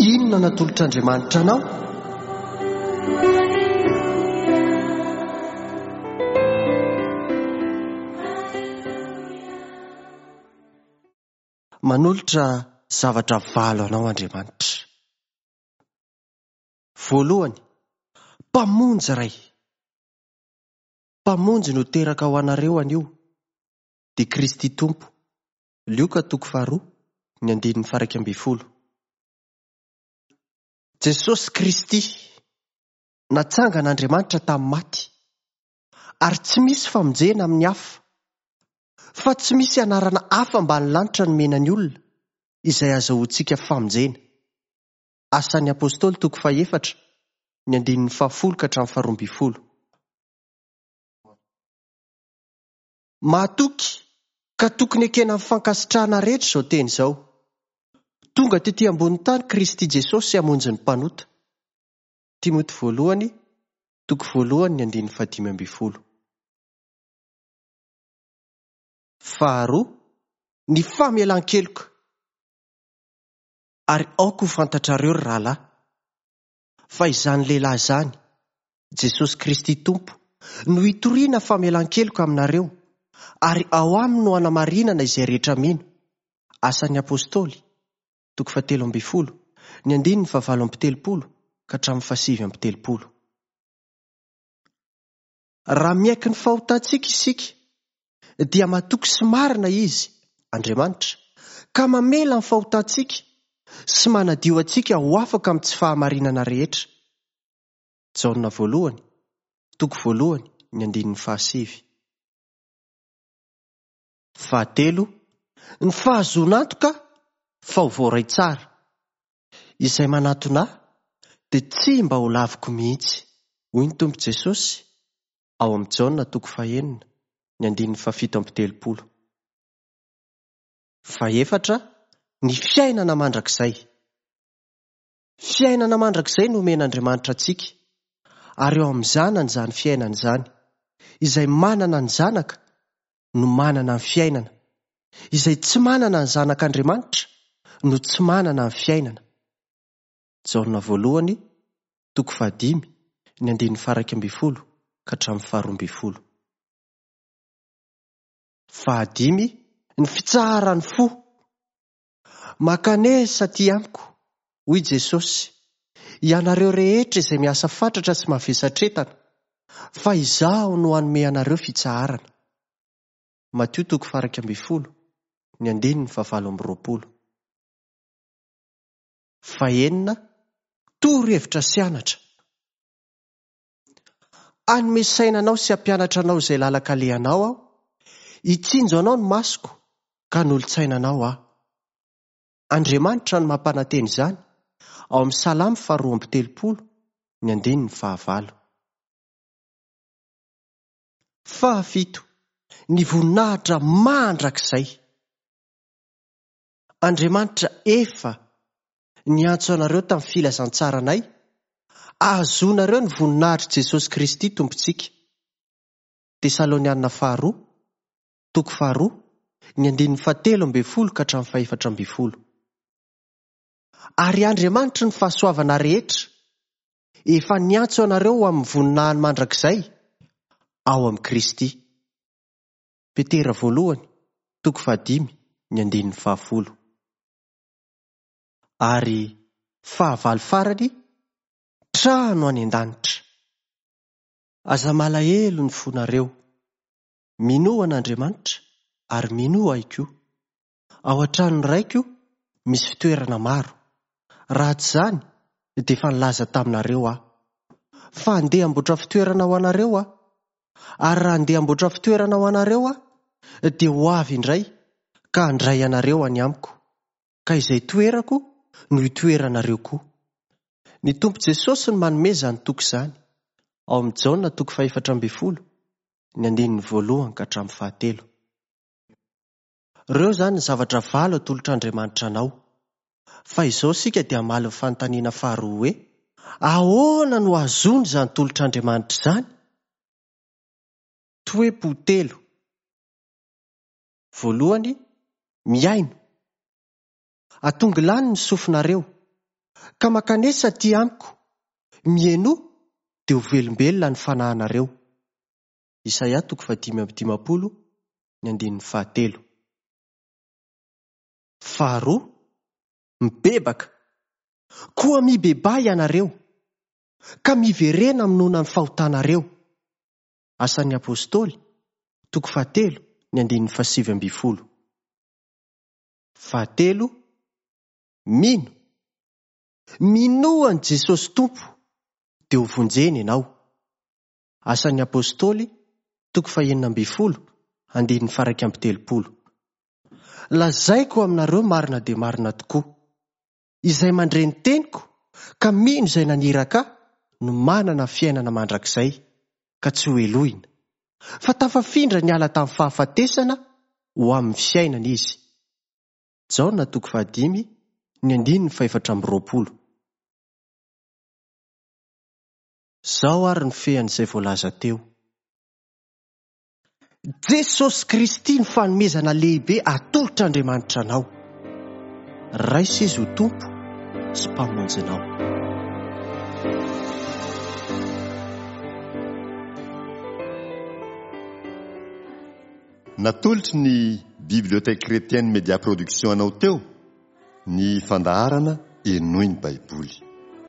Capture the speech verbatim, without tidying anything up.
Inona natolotr'Andriamanitra anao? Manolotra zavatra valo anao Andriamanitra. Voalohany, Mpamonjy iray. Mpamonjy no teraka ho anareo anio, dia Kristy Tompo. Lioka toko faharoa, ny andininy faha-iraika ambin'ny folo. Jesosy Kristy natsangan'Andriamanitra tamin'ny maty, ary tsy misy famonjena amin'ny hafa, fa tsy misy anarana hafa ambany lanitra nomena ny olona izay azahoantsika famonjena. Asan'ny Apôstôly toko fahefatra, ny andininy fahafolo ka hatramin'ny faharoa ambin'ny folo. Mahatoky ka tokony ekena amin'ny fankasitrahana rehetra izao teny izao. Tonga tety ambony tany Kristy Jesosy hamonjy ny mpanota. Timoty voalohany, toko voalohany, ny andininy fahadimy ambin'ny folo. Faharoa, ny famelan-keloka. Ary aoka ho fantatrareo ry rahalahy, fa izany lehilahy izany, Jesosy Kristy Tompo, no hitoriana famelan-keloka aminareo, ary ao aminy no hanamarinana izay rehetra mino. Asan'ny Apôstôly, toko fahatelo ambin'ny folo, ny andininy fahavalo amby telopolo ka hatramin'ny fahasivy amby telopolo. Raha miaiky ny fahotantsika isika, dia matoky sy marina Izy, Andriamanitra, ka mamela ny fahotantsika sy manadio antsika ho afaka amin'ny tsy fahamarinana rehetra. Jaona voalohany, toko voalohany, ny andininy fahasivy. Fahatelo, ny fahazoana antoka fa ho voaray tsara. Izay manatona ahy dia tsy mba ho laviko mihitsy, hoy ny Tompo Jesosy ao amin'ny Jaona toko fahenina, ny andininy fahafito amby telopolo. Fahefatra, ny fiainana mandrakizay. Fiainana mandrakizay no omen'Andriamanitra antsika, ary eo amin'ny zanany izany fiainana izany. Izay manana ny zanaka no manana ny fiainana. Izay tsy manana ny zanak'Andriamanitra no tsy manana ny fiainana. Jaona voalohany, toko fahadimy, ny andininy faha-iraika ambin'ny folo ka hatramin'ny faharoa ambin'ny folo. Fahadimy, ny fitsaharan'ny fo. Mankanesa aty amiko, hoy Jesosy, ianareo rehetra izay miasa fatratra sy mavesatretana, fa izaho no hanome anareo fitsaharana. Matio toko faha-iraika ambin'ny folo, ny andininy fahavalo amby roapolo. Fahenina, torohevitra sy anatra. Hanome saina anao sy hampianatra anao izay lalan-kalehanao aho, hitsinjo anao ny masoko ka hanolo-tsaina anao aho. Andriamanitra no mampanantena izany ao amin'ny Salamo faharoa amby telopolo, ny andininy fahavalo. Fahafito, ny voninahitra mandrakizay. Andriamanitra efa niantso anareo tamin'ny filazantsaranay, ahazoanareo ny voninahitr'i Jesosy Kristy Tompontsika. Tesalonianina faharoa, toko faharoa, ny andininy fahatelo ambin'ny folo ka hatramin'ny fahefatra ambin'ny folo. Ary Andriamanitry ny fahasoavana rehetra efa niantso anareo ho amin'ny voninahiny mandrakizay ao amin'i Kristy. Petera voalohany, toko fahadimy, ny andininy fahafolo. Ary fahavalo farany, trano any an-danitra. Aza malahelo ny fonareo. Minoa an'Andriamanitra ary minoa ahy koa. Ao an-tranon'ny raiko misy fitoerana maro. Raha tsy izany dia efa nilaza taminareo aho. Fa handeha hamboatra fitoerana ho anareo aho. Ary raha handeha hamboatra fitoerana ho anareo aho, dia ho avy indray ka handray anareo any amiko. Ka izay toerako no hitoeranareo koa. Ny Tompo Jesosy no manome izany toko izany, ao amin'ny Jaona toko fahefatra ambin'ny folo, ny andininy voalohany ka hatramin'ny fahatelo. Ireo izany ny zavatra valo atolotr'Andriamanitra anao. Fa izao isika dia hamaly ny fanontaniana faharoa hoe, ahoana no ahazoana izany tolotr'Andriamanitra izany? Toe-po telo. Voalohany, mihaino. Atongilano ny sofinareo. Ka mankanesa aty amiko, mihainoa dia ho velombelona ny fanahinareo. Isaia toko fahadimy amby dimampolo, ny andininy fahatelo. Faharoa, mibebaka. Koa mibebaha ianareo, ka miverena amin'noana ny fahotanareo. Asan'ny Apôstôly, toko fahatelo, ny andininy fahasivy ambin'ny folo. Fahatelo, mino. Minoa an'i Jesosy Tompo, dia ho vonjena ianao. Asan'ny Apôstôly, toko fahenina ambin'ny folo, andininy faha-iraika amby telopolo. Lazaiko aminareo marina dia marina tokoa. Izay mandre ny teniko ka mino izay naniraka ahy no manana fiainana mandrakizay ka tsy ho helohina. Fa tafafindra niala tamin'ny fahafatesana ho amin'ny fiainana izy. Jaona toko fahadimy, ny andininy fahefatra amby roapolo. Izao ary ny fean'izay voalaza teo. Jesosy Kristy ny fanomezana lehibe atolotr'Andriamanitra anao. Raiso izy ho Tompo sy Mpamonjy anao. Natolotry ny Bibliothèque Chrétienne Média Production anao teo ny fandaharana Henoy ny Baiboly.